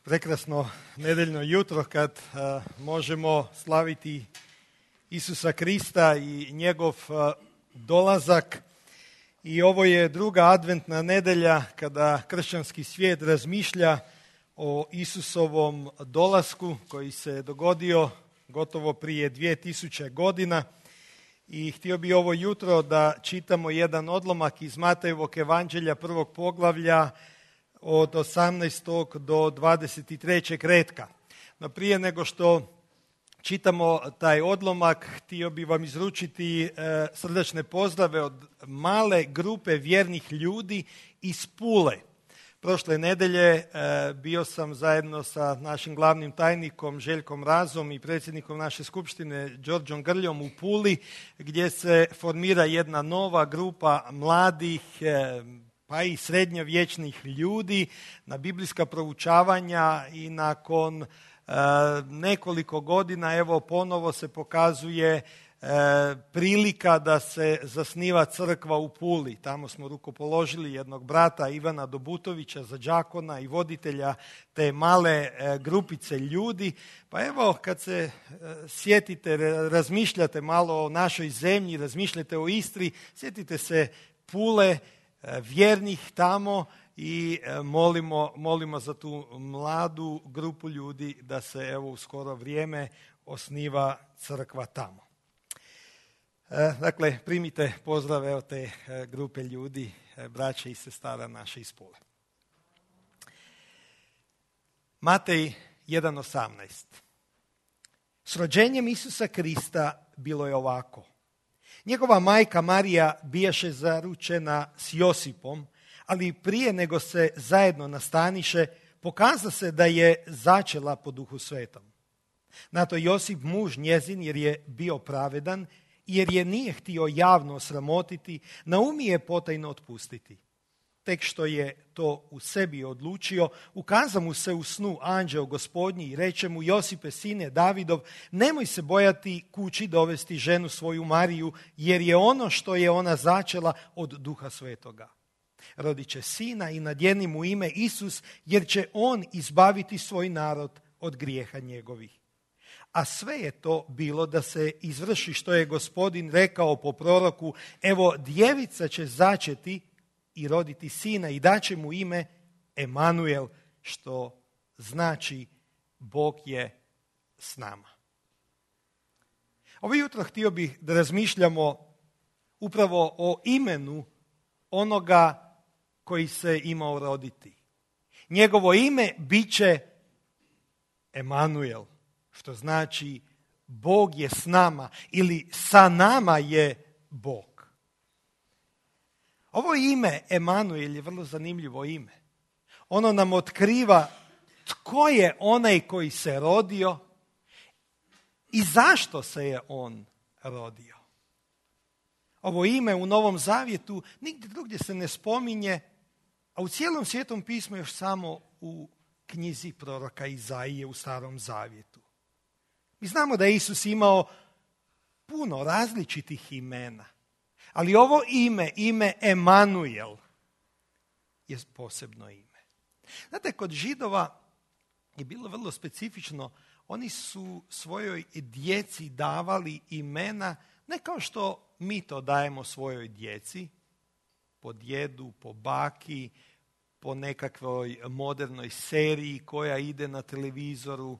Prekrasno nedeljno jutro kad možemo slaviti Isusa Krista i njegov dolazak. I ovo je druga adventna nedelja kada kršćanski svijet razmišlja o Isusovom dolasku koji se dogodio gotovo prije 2000 godina. I htio bi ovo jutro da čitamo jedan odlomak iz Matejevog evanđelja prvog poglavlja od 18. do 23. retka. No prije nego što čitamo taj odlomak, htio bi vam izručiti srdačne pozdrave od male grupe vjernih ljudi iz Pule. Prošle nedelje bio sam zajedno sa našim glavnim tajnikom Željkom Razom i predsjednikom naše skupštine Đorđom Grljom u Puli, gdje se formira jedna nova grupa mladih pa i srednjovječnih ljudi na biblijska proučavanja i nakon nekoliko godina evo ponovo se pokazuje prilika da se zasniva crkva u Puli. Tamo smo rukopoložili jednog brata Ivana Dobutovića za đakona i voditelja te male grupice ljudi. Pa evo kad se sjetite, razmišljate malo o našoj zemlji, razmišljate o Istri, sjetite se Pule, vjernih tamo i molimo za tu mladu grupu ljudi da se evo u skoro vrijeme osniva crkva tamo. Dakle, primite pozdrave od te grupe ljudi, braće i sestara naše iz Pule. Matej 1.18. S rođenjem Isusa Krista bilo je ovako. Njegova majka Marija bijaše zaručena s Josipom, ali prije nego se zajedno nastaniše, pokaza se da je začela po Duhu Svetom. Na to Josip, muž njezin, jer je bio pravedan, jer je nije htio javno sramotiti, naumije potajno otpustiti. Tek što je to u sebi odlučio, ukaza mu se u snu anđeo Gospodnji i reče mu: Josipe, sine Davidov, nemoj se bojati kući dovesti ženu svoju Mariju, jer je ono što je ona začela od Duha Svetoga. Rodit će sina i nadjeni mu ime Isus, jer će on izbaviti svoj narod od grijeha njegovih. A sve je to bilo da se izvrši što je Gospodin rekao po proroku: evo, djevica će začeti i roditi sina i daće mu ime Emanuel, što znači Bog je s nama. Ovo jutro htio bih da razmišljamo upravo o imenu onoga koji se imao roditi. Njegovo ime bit će Emanuel, što znači Bog je s nama ili sa nama je Bog. Ovo ime Emanuel je vrlo zanimljivo ime. Ono nam otkriva tko je onaj koji se rodio i zašto se je on rodio. Ovo ime u Novom Zavjetu nigdje drugdje se ne spominje, a u cijelom Svetom pismu još samo u knjizi proroka Izaije u Starom Zavjetu. Mi znamo da je Isus imao puno različitih imena, ali ovo ime Emanuel, je posebno ime. Znate, kod Židova je bilo vrlo specifično. Oni su svojoj djeci davali imena ne kao što mi to dajemo svojoj djeci, po djedu, po baki, po nekakvoj modernoj seriji koja ide na televizoru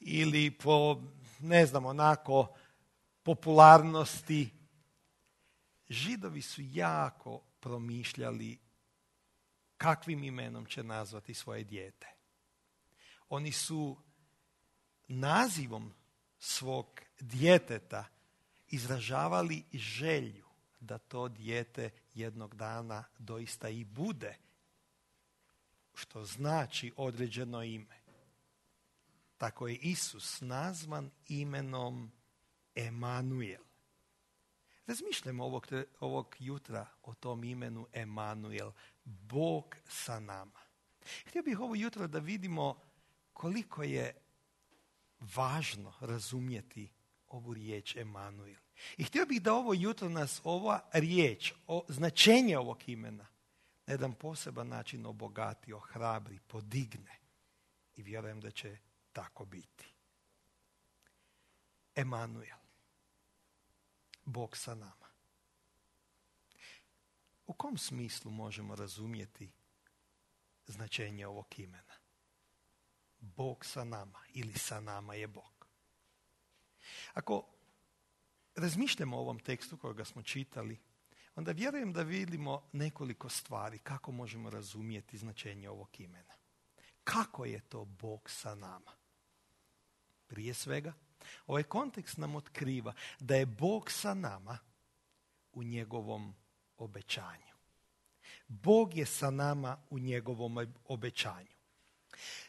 ili po, ne znam, onako popularnosti. Židovi su jako promišljali kakvim imenom će nazvati svoje dijete. Oni su nazivom svog djeteta izražavali želju da to dijete jednog dana doista i bude, što znači određeno ime. Tako je Isus nazvan imenom Emanuel. Razmišljamo ovog jutra o tom imenu Emanuel, Bog sa nama. Htio bih ovo jutro da vidimo koliko je važno razumjeti ovu riječ Emanuel. I htio bih da ovo jutro nas ova riječ, značenje ovog imena, na jedan poseban način obogati, ohrabri, podigne. i vjerujem da će tako biti. Emanuel, Bog sa nama. U kom smislu možemo razumjeti značenje ovog imena? Bog sa nama ili sa nama je Bog. Ako razmišljamo o ovom tekstu kojega smo čitali, onda vjerujem da vidimo nekoliko stvari kako možemo razumjeti značenje ovog imena. Kako je to Bog sa nama? Prije svega, ovaj kontekst nam otkriva da je Bog sa nama u njegovom obećanju. Bog je sa nama u njegovom obećanju.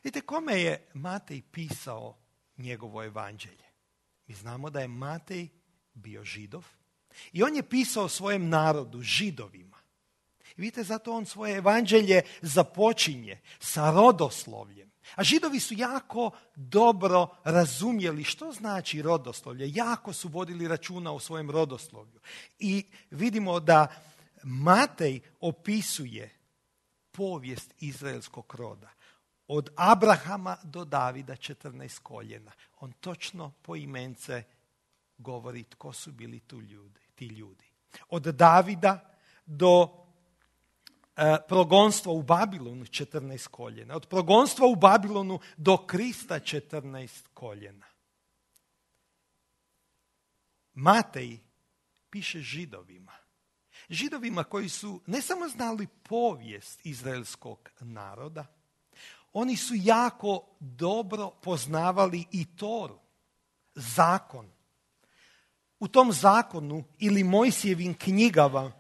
Vidite, kome je Matej pisao njegovo evanđelje? Mi znamo da je Matej bio Židov i on je pisao svojem narodu, Židovima. I vidite, zato on svoje evanđelje započinje sa rodoslovljem. A Židovi su jako dobro razumjeli što znači rodoslovlje. Jako su vodili računa o svojem rodoslovlju. I vidimo da Matej opisuje povijest izraelskog roda. Od Abrahama do Davida 14 koljena. On točno poimence govori tko su bili ti ljudi. Od Davida do progonstva u Babilonu 14 koljena. Od progonstva u Babilonu do Krista 14 koljena. Matej piše Židovima. Židovima koji su ne samo znali povijest izraelskog naroda, oni su jako dobro poznavali i Toru, zakon. U tom zakonu ili Mojsijevim knjigama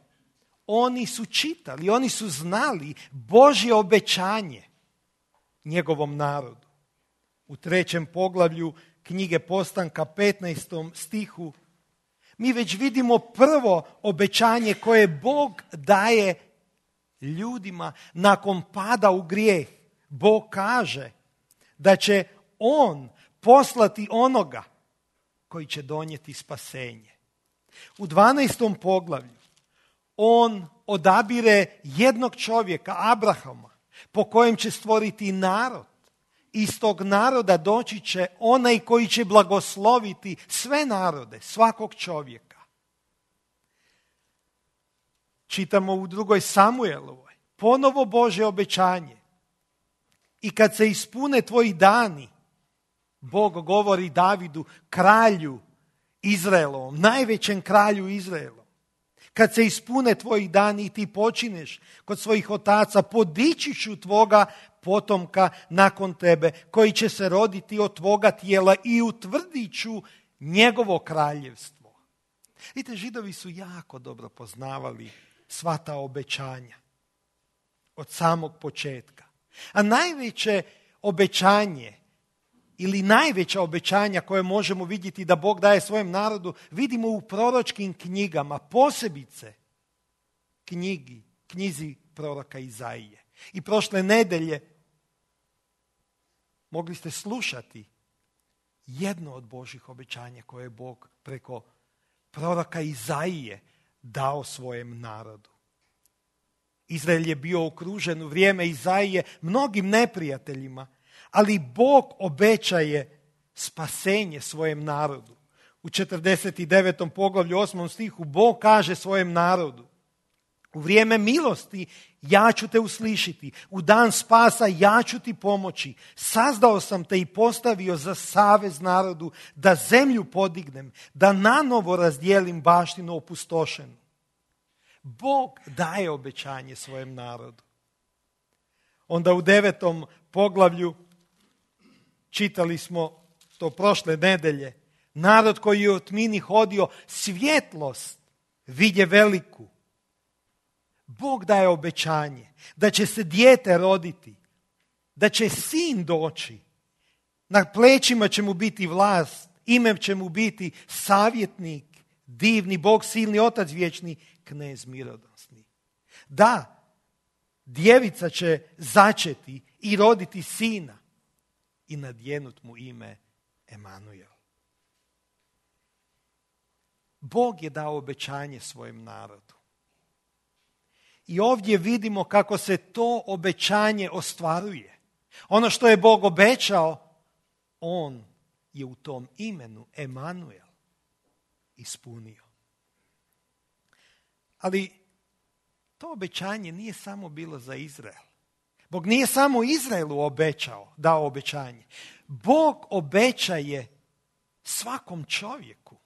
oni su čitali, oni su znali Božje obećanje njegovom narodu. U 3. poglavlju knjige Postanka 15. stihu mi već vidimo prvo obećanje koje Bog daje ljudima nakon pada u grijeh. Bog kaže da će on poslati onoga koji će donijeti spasenje. U 12. poglavlju on odabire jednog čovjeka, Abrahama, po kojem će stvoriti narod. Iz tog naroda doći će onaj koji će blagosloviti sve narode, svakog čovjeka. Čitamo u 2. Samuelovoj, ponovo Božje obećanje. I kad se ispune tvoji dani, Bog govori Davidu, kralju Izraelovom, najvećem kralju Izraelom. Kad se ispune tvoji dani i ti počineš kod svojih otaca, podići ću tvoga potomka nakon tebe, koji će se roditi od tvoga tijela i utvrdit ću njegovo kraljevstvo. Vidite, Židovi su jako dobro poznavali sva ta obećanja od samog početka. A najveće obećanje ili najveća obećanja koje možemo vidjeti da Bog daje svojem narodu, vidimo u proročkim knjigama, posebice knjizi proroka Izaije. I prošle nedelje mogli ste slušati jedno od Božjih obećanja koje je Bog preko proroka Izaije dao svojem narodu. Izrael je bio okružen u vrijeme Izaije mnogim neprijateljima, ali Bog obećaje spasenje svojem narodu. U 49. poglavlju 8. stihu Bog kaže svojem narodu: u vrijeme milosti ja ću te uslišiti, u dan spasa ja ću ti pomoći. Sazdao sam te i postavio za savez narodu, da zemlju podignem, da nanovo razdijelim baštinu opustošenu. Bog daje obećanje svojem narodu. Onda u 9. poglavlju čitali smo to prošle nedelje. Narod koji je u tmini hodio, svjetlost vidje veliku. Bog daje obećanje da će se dijete roditi, da će sin doći. Na plećima će mu biti vlast, ime će mu biti savjetnik, divni Bog, silni Otac vječni, knez mirodosni. Da, djevica će začeti i roditi sina i nadjenut mu ime Emanuel. Bog je dao obećanje svojem narodu. I ovdje vidimo kako se to obećanje ostvaruje. Ono što je Bog obećao, on je u tom imenu Emanuel ispunio. Ali to obećanje nije samo bilo za Izrael. Bog nije samo Izraelu dao obećanje. Bog obećaje svakom čovjeku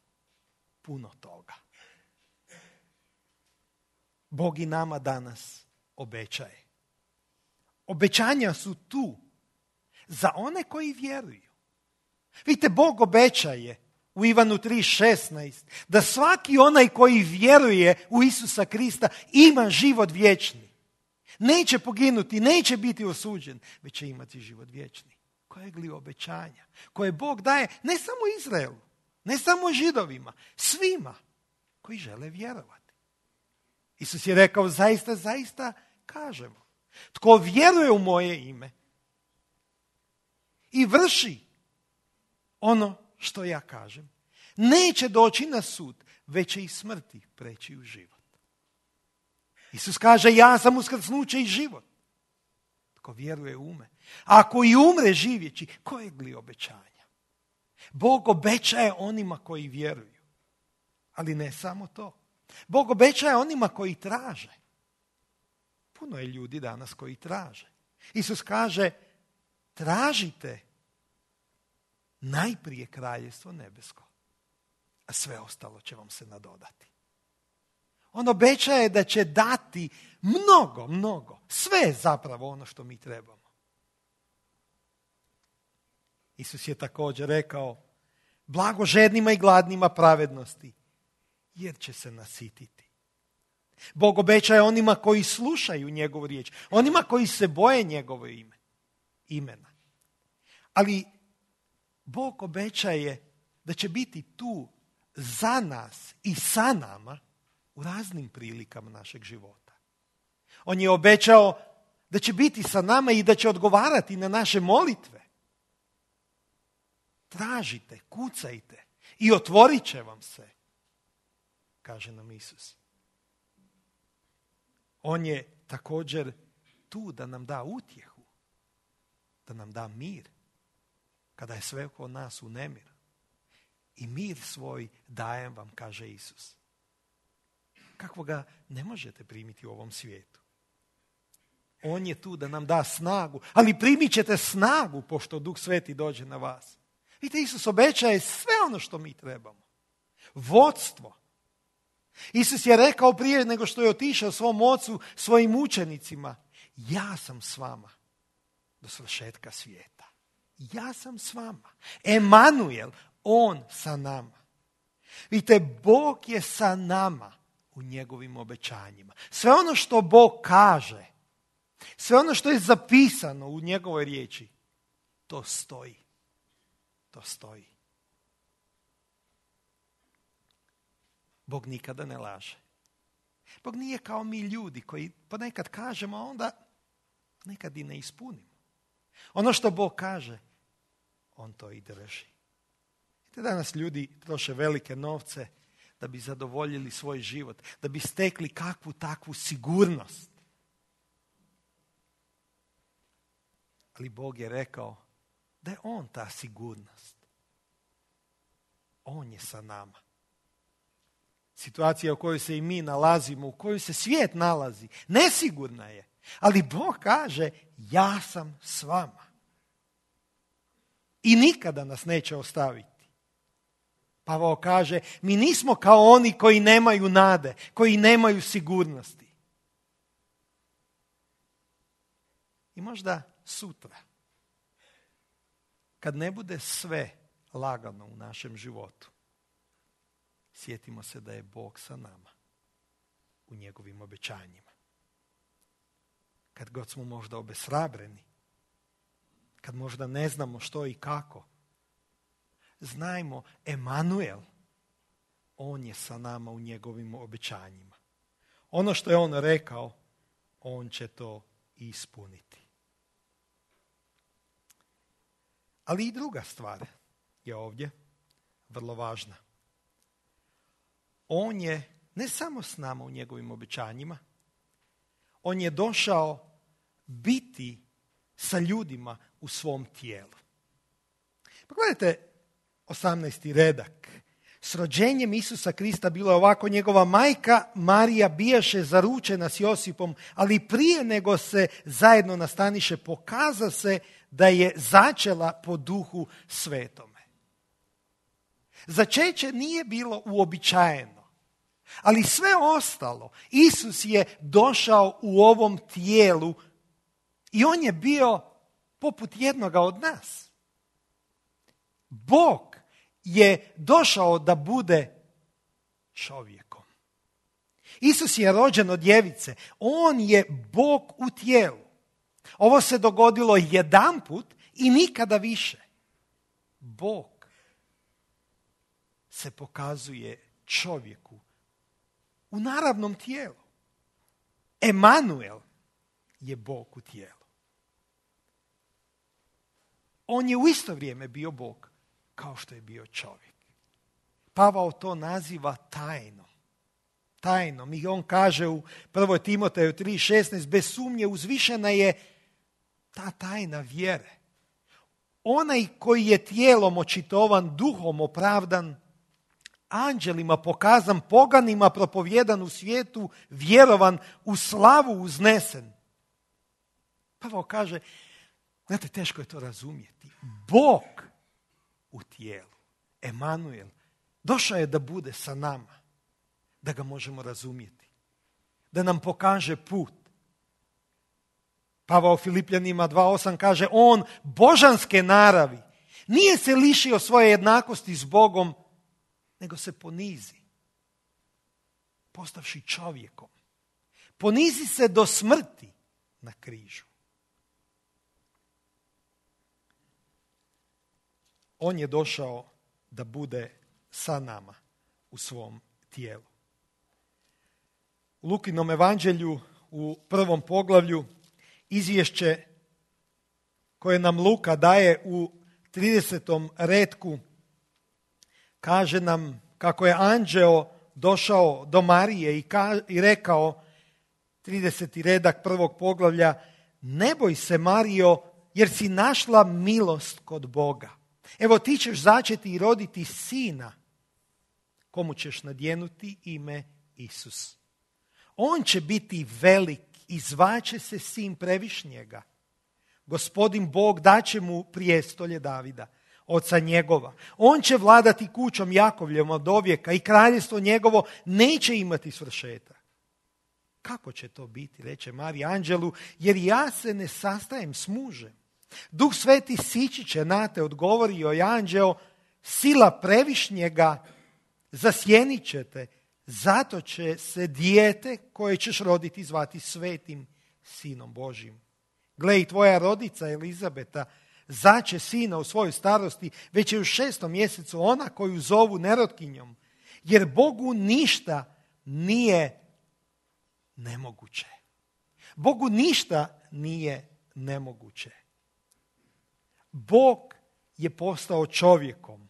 puno toga. Bog i nama danas obećaje. Obećanja su tu za one koji vjeruju. Vidite, Bog obećaje u Ivanu 3:16 da svaki onaj koji vjeruje u Isusa Krista ima život vječni. Neće poginuti, neće biti osuđen, već će imati život vječni. Kojeg li obećanja? Koje Bog daje ne samo Izraelu, ne samo Židovima, svima koji žele vjerovati. Isus je rekao, zaista, zaista kažemo, tko vjeruje u moje ime i vrši ono što ja kažem, neće doći na sud, već će iz smrti preći u život. Isus kaže, ja sam uskrsnuće i život. Tko vjeruje u me. A ako i umre živjeći, kojeg li obećanja? Bog obećaje onima koji vjeruju. Ali ne samo to. Bog obećaje onima koji traže. Puno je ljudi danas koji traže. Isus kaže, tražite najprije kraljevstvo nebesko, a sve ostalo će vam se nadodati. On obećaje da će dati mnogo, sve zapravo ono što mi trebamo. Isus je također rekao, blago žednima i gladnima pravednosti, jer će se nasititi. Bog obećaje onima koji slušaju njegovu riječ, onima koji se boje njegovo imena. Ali Bog obećaje da će biti tu za nas i sa nama u raznim prilikama našeg života. On je obećao da će biti sa nama i da će odgovarati na naše molitve. Tražite, kucajte i otvorit će vam se, kaže nam Isus. On je također tu da nam da utjehu, da nam da mir, kada je sve oko nas u nemiru. I mir svoj dajem vam, kaže Isus. Kako ga ne možete primiti u ovom svijetu. On je tu da nam da snagu, ali primit ćete snagu pošto Duh Sveti dođe na vas. Vidite, Isus obećaje sve ono što mi trebamo. Vodstvo. Isus je rekao prije nego što je otišao svom ocu, svojim učenicima, ja sam s vama do svršetka svijeta. Ja sam s vama. Emanuel, on sa nama. Vidite, Bog je sa nama u njegovim obećanjima. Sve ono što Bog kaže, sve ono što je zapisano u njegovoj riječi, to stoji. To stoji. Bog nikada ne laže. Bog nije kao mi ljudi koji ponekad kažemo, a onda nekad i ne ispunimo. Ono što Bog kaže, on to i drži. Danas ljudi troše velike novce da bi zadovoljili svoj život, da bi stekli kakvu takvu sigurnost. Ali Bog je rekao da je on ta sigurnost. On je sa nama. Situacija u kojoj se i mi nalazimo, u kojoj se svijet nalazi, nesigurna je. Ali Bog kaže, ja sam s vama. I nikada nas neće ostaviti. Pavao kaže, mi nismo kao oni koji nemaju nade, koji nemaju sigurnosti. I možda sutra, kad ne bude sve lagano u našem životu, sjetimo se da je Bog sa nama u njegovim obećanjima. Kad god smo možda obeshrabreni, kad možda ne znamo što i kako, znajmo, Emanuel, on je sa nama u njegovim obećanjima. Ono što je on rekao, on će to ispuniti. Ali i druga stvar je ovdje vrlo važna. On je ne samo s nama u njegovim obećanjima, on je došao biti sa ljudima u svom tijelu. Pogledajte 18. redak. S rođenjem Isusa Krista bilo je ovako: njegova majka Marija bijaše zaručena s Josipom, ali prije nego se zajedno nastaniše, pokaza se da je začela po Duhu Svetome. Začeće nije bilo uobičajeno, ali sve ostalo, Isus je došao u ovom tijelu i on je bio poput jednoga od nas. Bog je došao da bude čovjekom. Isus je rođen od djevice. On je Bog u tijelu. Ovo se dogodilo jedanput i nikada više. Bog se pokazuje čovjeku u naravnom tijelu. Emanuel je Bog u tijelu. On je u isto vrijeme bio Bog kao što je bio čovjek. Pavao to naziva tajnom. Tajnom. I on kaže u 1. Timoteju 3:16, bez sumnje uzvišena je ta tajna vjere. Onaj koji je tijelom očitovan, duhom opravdan, anđelima pokazan, poganima propovjedan u svijetu, vjerovan, u slavu uznesen. Pavao kaže, znate, teško je to razumjeti. Bog u tijelu, Emanuel, došao je da bude sa nama, da ga možemo razumjeti, da nam pokaže put. Pavao Filipljanima 2:8 kaže, on božanske naravi nije se lišio svoje jednakosti s Bogom, nego se ponizi, postavši čovjekom. Ponizi se do smrti na križu. On je došao da bude sa nama u svom tijelu. U Lukinom evanđelju u 1. poglavlju izvješće koje nam Luka daje u 30. retku kaže nam kako je anđeo došao do Marije i rekao, 30. redak 1. poglavlja, ne boj se, Marijo, jer si našla milost kod Boga. Evo, ti ćeš začeti i roditi sina, komu ćeš nadjenuti ime Isus. On će biti velik i zvaće se sin Previšnjega. Gospodin Bog daće mu prijestolje Davida, oca njegova. On će vladati kućom Jakovljevom od dovijeka i kraljevstvo njegovo neće imati svršetak. Kako će to biti, reče Marija anđelu, jer ja se ne sastajem s mužem. Duh Sveti sići će na te, odgovorio je anđeo, sila Previšnjega zasjenit će te, zato će se dijete koje ćeš roditi zvati Svetim Sinom Božjim. Gle, i tvoja rodica Elizabeta zaće sina u svojoj starosti, već je u 6. mjesecu ona koju zovu nerotkinjom, jer Bogu ništa nije nemoguće. Bogu ništa nije nemoguće. Bog je postao čovjekom.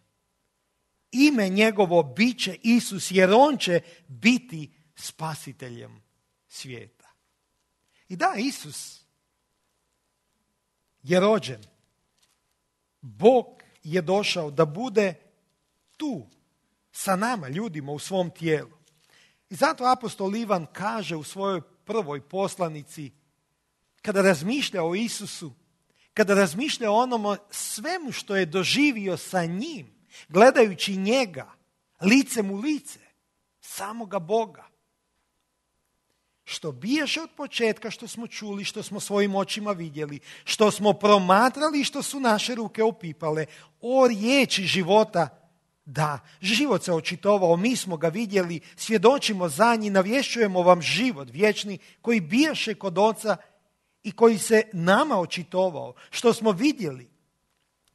Ime njegovo bit će Isus, jer on će biti spasiteljem svijeta. I da, Isus je rođen. Bog je došao da bude tu, sa nama, ljudima u svom tijelu. I zato apostol Ivan kaže u svojoj prvoj poslanici, kada razmišlja o Isusu, kada razmišlja o onome svemu što je doživio sa njim, gledajući njega, licem u lice, samoga Boga. Što bijaše od početka, što smo čuli, što smo svojim očima vidjeli, što smo promatrali, što su naše ruke opipale, o riječi života, da, život se očitovao, mi smo ga vidjeli, svjedočimo za njih, navješćujemo vam život vječni koji bijaše kod Oca i koji se nama očitovao, što smo vidjeli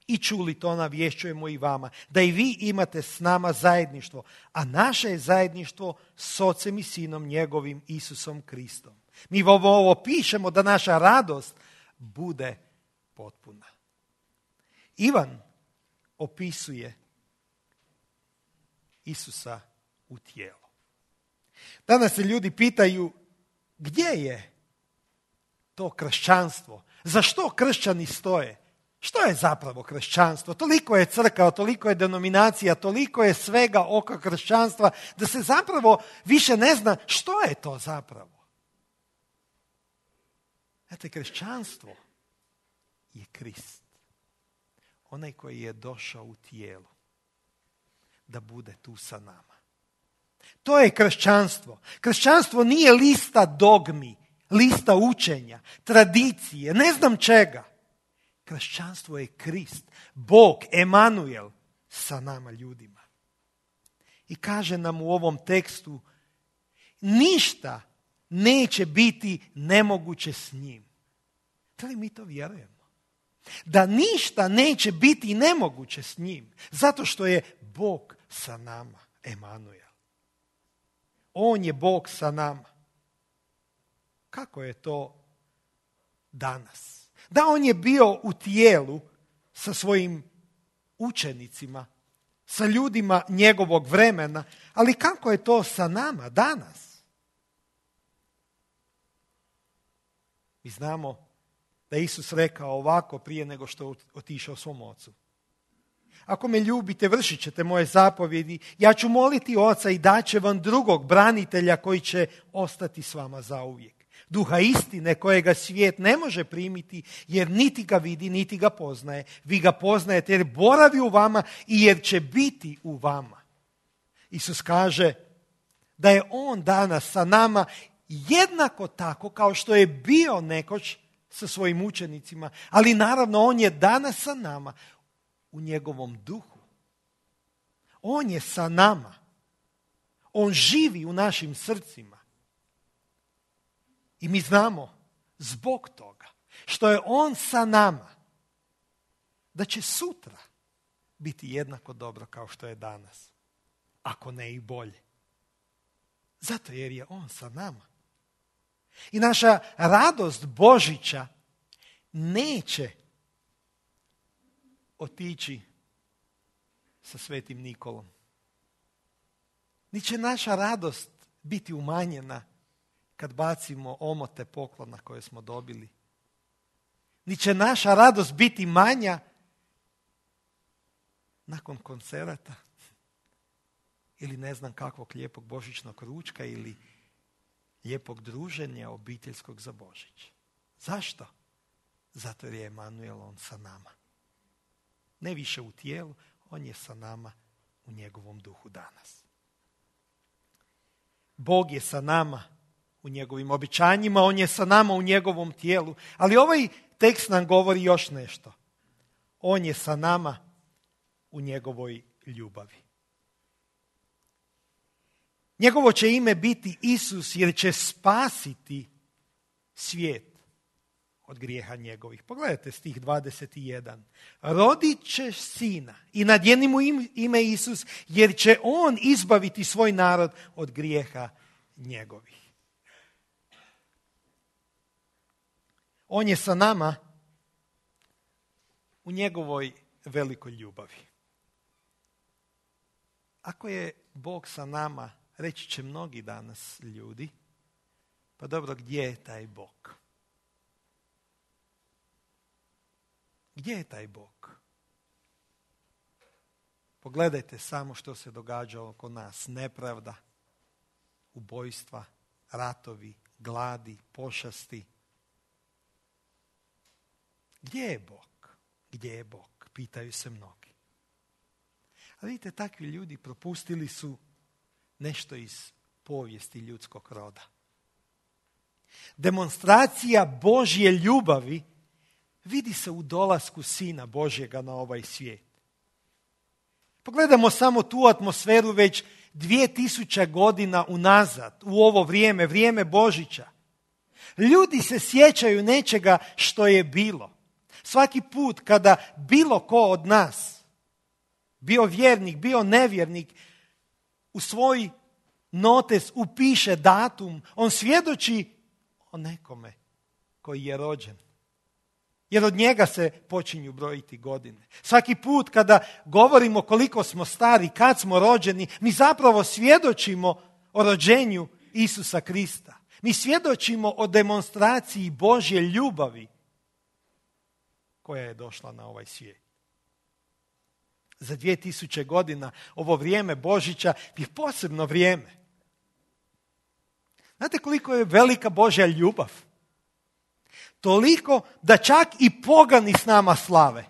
i čuli, to navješćujemo i vama, da i vi imate s nama zajedništvo, a naše je zajedništvo s Ocem i Sinom njegovim Isusom Kristom. Mi ovo pišemo da naša radost bude potpuna. Ivan opisuje Isusa u tijelu. Danas se ljudi pitaju gdje je to kršćanstvo, Za što kršćani stoje? Što je zapravo kršćanstvo? Toliko je crkava, toliko je denominacija, toliko je svega oko kršćanstva da se zapravo više ne zna što je to zapravo. Znate, kršćanstvo je Krist. Onaj koji je došao u tijelu da bude tu sa nama. To je kršćanstvo. Kršćanstvo nije lista dogmi, lista učenja, tradicije, ne znam čega. Kršćanstvo je Krist, Bog, Emanuel sa nama ljudima. I kaže nam u ovom tekstu, ništa neće biti nemoguće s njim. Da li mi to vjerujemo? Da ništa neće biti nemoguće s njim, zato što je Bog sa nama, Emanuel. On je Bog sa nama. Kako je to danas? Da, on je bio u tijelu sa svojim učenicima, sa ljudima njegovog vremena, ali kako je to sa nama danas? Mi znamo da je Isus rekao ovako prije nego što je otišao svom ocu. Ako me ljubite, vršit ćete moje zapovjedi, ja ću moliti Oca i daće vam drugog branitelja koji će ostati s vama zauvijek. Duha istine kojega svijet ne može primiti jer niti ga vidi, niti ga poznaje. Vi ga poznajete jer boravi u vama i jer će biti u vama. Isus kaže da je on danas sa nama jednako tako kao što je bio nekoć sa svojim učenicima, ali naravno on je danas sa nama u njegovom duhu. On je sa nama. On živi u našim srcima. I mi znamo zbog toga što je on sa nama da će sutra biti jednako dobro kao što je danas, ako ne i bolje. Zato jer je on sa nama. I naša radost Božića neće otići sa Svetim Nikolom. Ni će naša radost biti umanjena kad bacimo omote poklona koje smo dobili. Ni će naša radost biti manja nakon koncerata ili ne znam kakvog lijepog božićnog ručka ili lijepog druženja obiteljskog za Božić. Zašto? Zato jer je Emanuel on sa nama. Ne više u tijelu, on je sa nama u njegovom duhu danas. Bog je sa nama u njegovim obećanjima, on je sa nama u njegovom tijelu, ali ovaj tekst nam govori još nešto. On je sa nama u njegovoj ljubavi. Njegovo će ime biti Isus jer će spasiti svijet od grijeha njegovih. Pogledajte stih 21. Rodit ćeš sina i nadjeni mu ime Isus jer će on izbaviti svoj narod od grijeha njegovih. On je sa nama u njegovoj velikoj ljubavi. Ako je Bog sa nama, reći će mnogi danas ljudi, pa dobro, gdje je taj Bog? Gdje je taj Bog? Pogledajte samo što se događa oko nas. Nepravda, ubojstva, ratovi, gladi, pošasti. Gdje je Bog? Gdje je Bog? Pitaju se mnogi. A vidite, takvi ljudi propustili su nešto iz povijesti ljudskog roda. Demonstracija Božje ljubavi vidi se u dolasku Sina Božjega na ovaj svijet. Pogledamo samo tu atmosferu već 2000 godina unazad, u ovo vrijeme, vrijeme Božića. Ljudi se sjećaju nečega što je bilo. Svaki put kada bilo ko od nas, bio vjernik, bio nevjernik, u svoj notes upiše datum, on svjedoči o nekome koji je rođen. Jer od njega se počinju brojiti godine. Svaki put kada govorimo koliko smo stari, kad smo rođeni, mi zapravo svjedočimo o rođenju Isusa Krista. Mi svjedočimo o demonstraciji Božje ljubavi koja je došla na ovaj svijet. Za 2000 godina ovo vrijeme Božića je posebno vrijeme. Znate koliko je velika Božja ljubav? Toliko da čak i pogani s nama slave.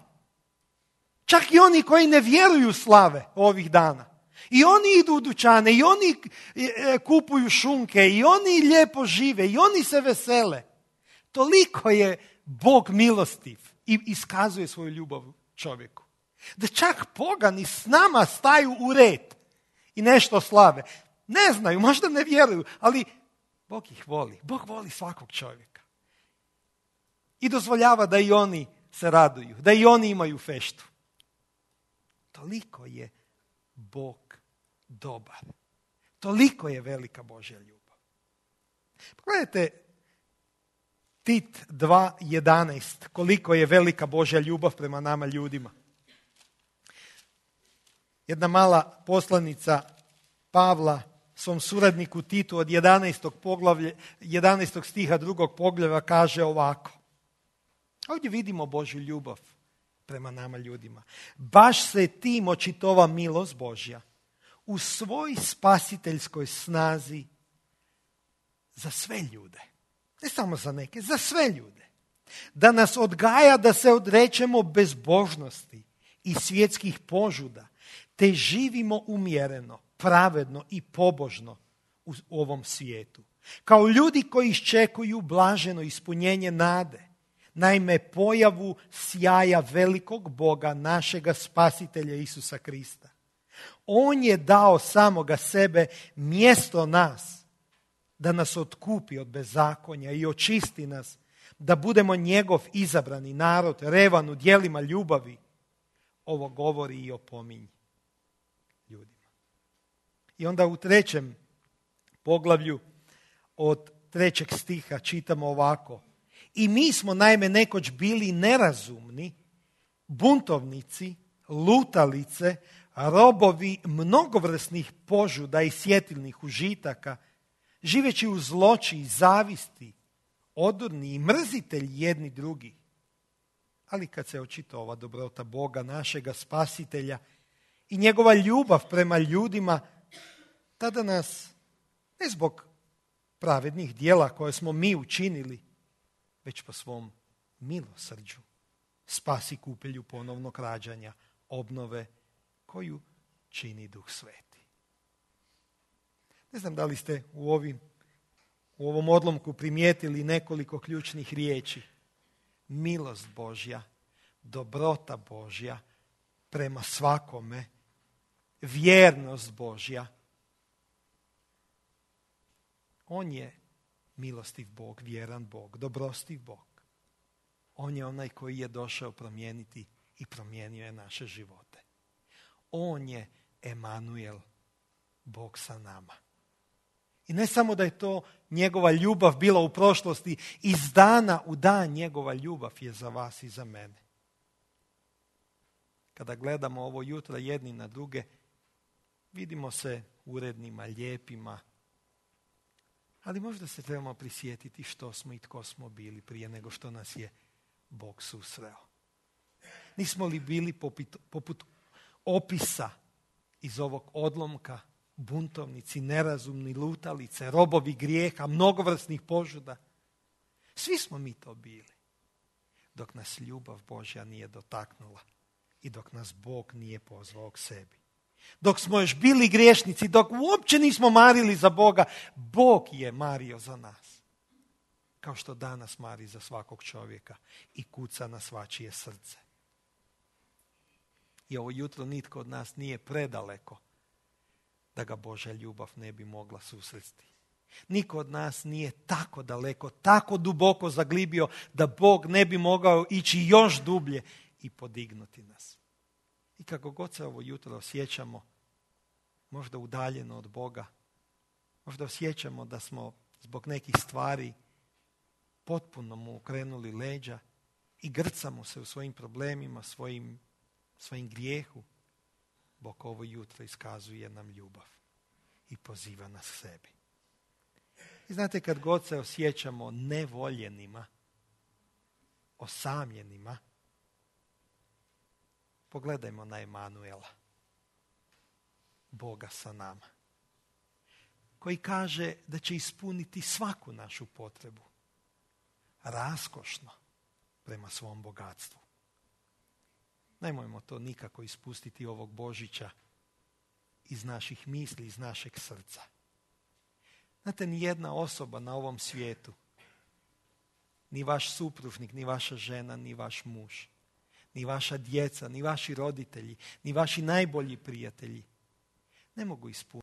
Čak i oni koji ne vjeruju slave ovih dana. I oni idu u dućane, i oni kupuju šunke, i oni lijepo žive, i oni se vesele. Toliko je Bog milostiv i iskazuje svoju ljubav čovjeku. Da čak pogani s nama staju u red i nešto slave. Ne znaju, možda ne vjeruju, ali Bog ih voli. Bog voli svakog čovjeka. I dozvoljava da i oni se raduju, da i oni imaju feštu. Toliko je Bog dobar. Toliko je velika Božja ljubav. Pogledajte Tit 2.11, koliko je velika Božja ljubav prema nama ljudima. Jedna mala poslanica Pavla svom suradniku Titu od 11. stiha 2. poglavlja kaže ovako. Ovdje vidimo Božju ljubav prema nama ljudima. Baš se tim očitova milost Božja u svoj spasiteljskoj snazi za sve ljude. Ne samo za neke, za sve ljude. Da nas odgaja da se odrećemo bezbožnosti i svjetskih požuda, te živimo umjereno, pravedno i pobožno u ovom svijetu. Kao ljudi koji iščekuju blaženo ispunjenje nade. Naime, pojavu sjaja velikog Boga, našega spasitelja Isusa Krista. On je dao samoga sebe mjesto nas, da nas otkupi od bezakonja i očisti nas, da budemo njegov izabrani narod, revan u djelima ljubavi. Ovo govori i opominje ljudima. I onda u 3. poglavlju od 3. stiha čitamo ovako. I mi smo naime nekoć bili nerazumni, buntovnici, lutalice, robovi mnogovrsnih požuda i sjetilnih užitaka, živeći u zloči i zavisti, odurni i mrzitelji jedni drugi. Ali kad se očita ova dobrota Boga, našega spasitelja i njegova ljubav prema ljudima, tada nas, ne zbog pravednih djela koje smo mi učinili, već po svom milosrđu spasi kupelju ponovnog rađanja, obnove koju čini Duh Sveti. Ne znam da li ste u ovom odlomku primijetili nekoliko ključnih riječi. Milost Božja, dobrota Božja prema svakome, vjernost Božja. On je milostiv Bog, vjeran Bog, dobrostiv Bog. On je onaj koji je došao promijeniti i promijenio je naše živote. On je Emanuel, Bog sa nama. I ne samo da je to njegova ljubav bila u prošlosti, iz dana u dan njegova ljubav je za vas i za mene. Kada gledamo ovo jutro jedni na druge, vidimo se urednima, lijepima, ali možda se trebamo prisjetiti što smo i tko smo bili prije nego što nas je Bog susreo. Nismo li bili poput opisa iz ovog odlomka, buntovnici, nerazumni, lutalice, robovi grijeha, mnogovrsnih požuda? Svi smo mi to bili, dok nas ljubav Božja nije dotaknula i dok nas Bog nije pozvao k sebi. Dok smo još bili griješnici, dok uopće nismo marili za Boga, Bog je mario za nas. Kao što danas mari za svakog čovjeka i kuca na svačije srce. I ovo jutro nitko od nas nije predaleko da ga Božja ljubav ne bi mogla susresti. Niko od nas nije tako daleko, tako duboko zaglibio da Bog ne bi mogao ići još dublje i podignuti nas. I kako god se ovo jutro osjećamo, možda udaljeno od Boga, možda osjećamo da smo zbog nekih stvari potpuno mu okrenuli leđa i grcamo se u svojim problemima, svojim grijehu, Bog ovo jutro iskazuje nam ljubav i poziva nas sebi. I znate, kad god se osjećamo nevoljenima, osamljenima, Pogledajmo na Emanuela, Boga sa nama, koji kaže da će ispuniti svaku našu potrebu, raskošno prema svom bogatstvu. Nemojmo to nikako ispustiti ovog Božića iz naših misli, iz našeg srca. Znate, ni jedna osoba na ovom svijetu, ni vaš supružnik, ni vaša žena, ni vaš muž, ni vaša djeca, ni vaši roditelji, ni vaši najbolji prijatelji ne mogu ispuniti